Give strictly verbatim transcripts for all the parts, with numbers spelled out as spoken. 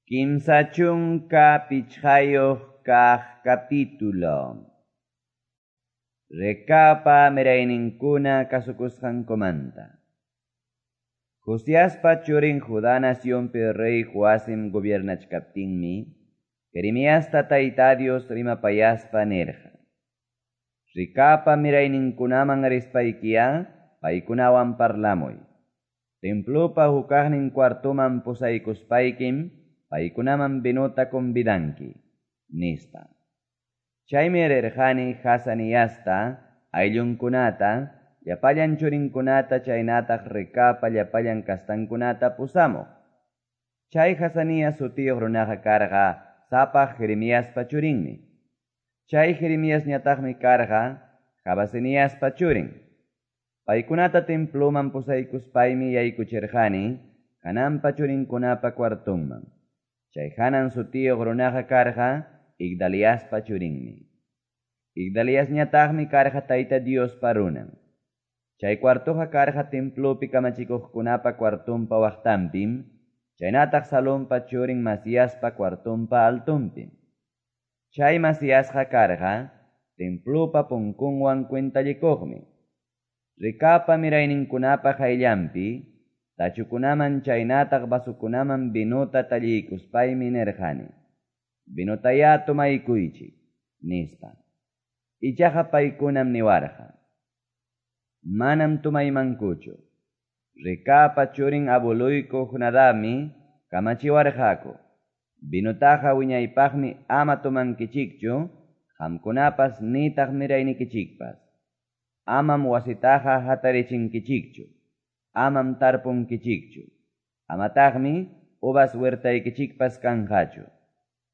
Kimsa chunka pichqayuq kaq capítulo. Recabpa mirayninkuna kasukusqankumanta. Josiaspa churin Judá nacionpi rey Joacim gobiernachkaptinmi, Jeremiasta Tayta Dios rimapayaspa nirqa: Recabpa mirayninkunaman rispaykiya paykunawan parlamuy. Templopa hukaqnin cuartoman pusaykuspaykim paykunaman vinota convidanki, nispa. Chaymi rirqani Jazaniasta, ayllunkunata, llapallan churinkunata chaynataq Recabpa llapallan kastankunata pusamuq. Chay Jazanías sutiyuq runaqa karqa sapaq Jeremiaspa churinmi. Chay Jeremiasñataqmi karqa Jabasiniaspa churin. Paykunata temploman pusaykuspaymi yaykuchirqani Hananpa churinkunapa cuartonman. Chay Hanan sutiyuq runaqa karqa Igdaliaspa churinmi. Igdaliasñataqmi karqa Tayta Diospa runan. Chay cuartoqa karqa templopi kamachikuqkunapa cuartonpa waqtanpim, chaynataq Salompa churin Masiaspa cuartonpa altonpim. Chay Masiasqa karqa templopa punkunwan cuentallikuqmi. Recabpa mirayninkunapa qayllanpi tachukunaman chaynataq vasukunaman vinota talliykuspaymi nirqani: "Vinotayá tomaykuychik", nispa. Ichaqa paykunam niwarqa: "Manam tomaymankuchu. Recabpa churin abueluyku Jonadabmi kamachiwarqaku: Vinotaqa wiñaypaqmi ama tomankichikchu, qamkunapas nitaq miraynikichikpas. Amam wasitaqa hatarichinkichikchu, amam tarpunkichikchu, amataqmi uvas huertaykichikpas kanqachu.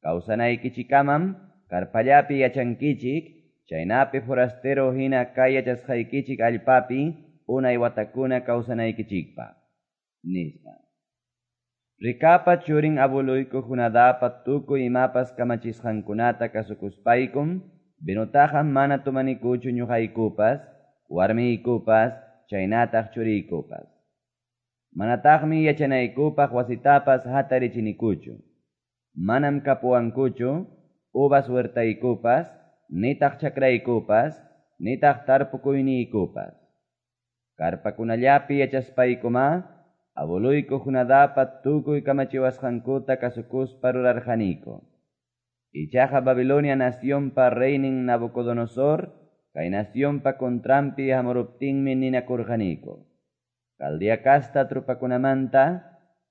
Kawsanaykichikamam karpallapi yachankichik, chaynapi forastero hina kay yachasqaykichik allpapi unay watakuna kawsanaykichikpaq", nispa. Recabpa churin abueluyku Jonadabpa tukuy imapas kamachisqankunata kasukuspaykum vinotaqa mana tomanikuchu ñuqaykupas, warmiykupas, chaynataq churiykupas. Manataqmi yachanaykupaq wasitapas hatarichinikuchu. Manam kapuwankuchu uvas huertaykupas, nitaq chakraykupas, nitaq tarpukuyniykupas. Karpakunallapi yachaspaykumá abueluyku Jonadabpa tukuy kamachiwasqankuta kasukuspa rurarqaniku. Ichaqa Babilonia nacionpa reynin Nabucodonosor kay nacionpa contranpi hamuruptinmi ninakurqaniku: Caldea casta trupakunamanta,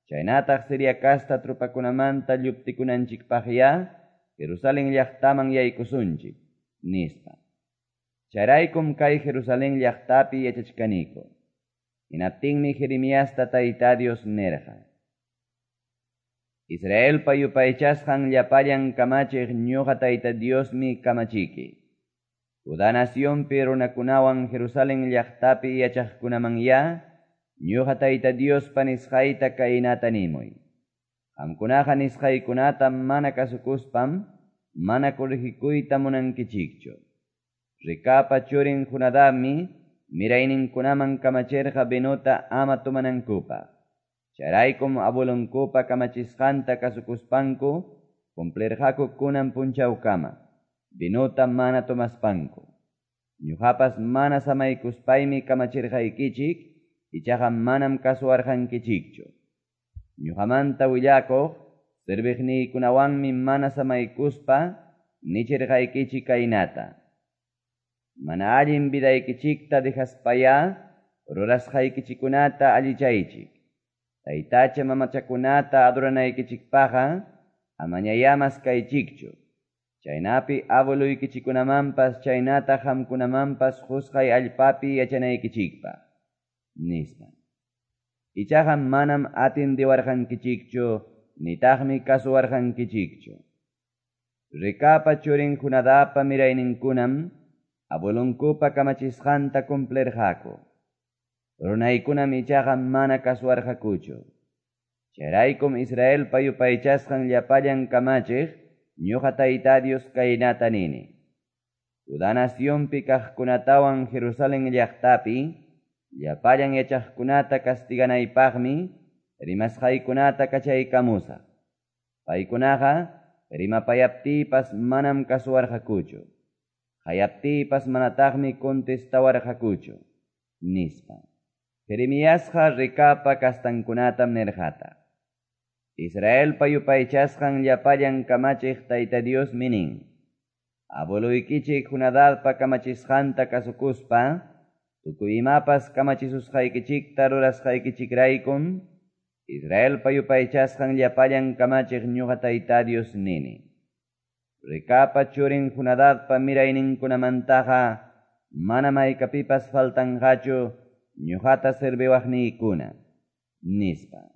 chaynataq Siria casta trupakunamanta lluptikunanchikpaqya Jerusalén llaqtaman yaykusunchik, nispa. Chayraykum kay Jerusalén llaqtapi yachachkaniku. Hinaptinmi Jeremiasta Tayta Dios nirqa: Israelpa yupaychasqan llapallan kamachiq ñuqa Tayta Diosmi kamachiki. Judá nacionpi runakunawan Jerusalén llaqtapi yachaqkunamanya ñuqa Tayta Diospa nisqayta kaynata nimuy: Qamkunaqa nisqaykunata mana kasukuspam mana corregikuyta munankichikchu. Recabpa churin Jonadabmi mirayninkunaman kamachirqa vinota ama tomanankupaq. Chayraykum abuelonkupa kamachisqanta kasukuspanku cumplirqaku kunan punchawkama vinota mana tomaspanku. Ñuqapas mana samaykuspaymi kamachirqaykichik, ichaqa manam kasuwarqankichikchu. Ñuqamanta willakuq serviqniykunawanmi mana samaykuspa nichirqaykichik kaynata: Mana allin vidaykichikta dejaspayá rurasqaykichikunata allichaychik. Taytacha mamachakunata adoranaykichikpaqqa amañayá maskaychikchu. Chaynapi abueluykichikunamanpas chaynataq qamkunamanpas qusqay allpapi yachanaykichikpaq, nispa. Ichaqa manam atindiwarqankichikchu, nitaqmi kasuwarqankichikchu. Recabpa churin Jonadabpa mirayninkunam abuelonkupa kamachisqanta cumplirqaku. Runaykunam ichaqa mana kasuwarqakuchu. Chayraykum Israelpa yupaychasqan llapallan kamachiq ñuqa Tayta Dios kaynata nini: Judá nacionpi kaqkunatawan Jerusalén llaqtapi llapallan yachaqkunata castiganaypaqmi rimasqaykunata kachaykamusaq. Paykunaqa rimapayaptiypas manam kasuwarqakuchu, qayaptiypas manataqmi contestawarqakuchu, nispa. Jeremiasqa Recabpa castankunatam nirqataq, Israelpa yupaychasqan Llapallan Kamachiq Tayta Diosmi nin, Abueloykichik Jonadabpa kamachisqanta kasukuspa tukuy imapas kamachisusqaykichikta rurasqaykichikraykum, Israelpa yupaychasqan Llapallan Kamachiq ñoqa Tayta Dios nini, Recabpa churin Jonadabpa mirayninkunamantaqa manam haykapipas faltanqachu ñoqata serviwaqniykuna, nispa.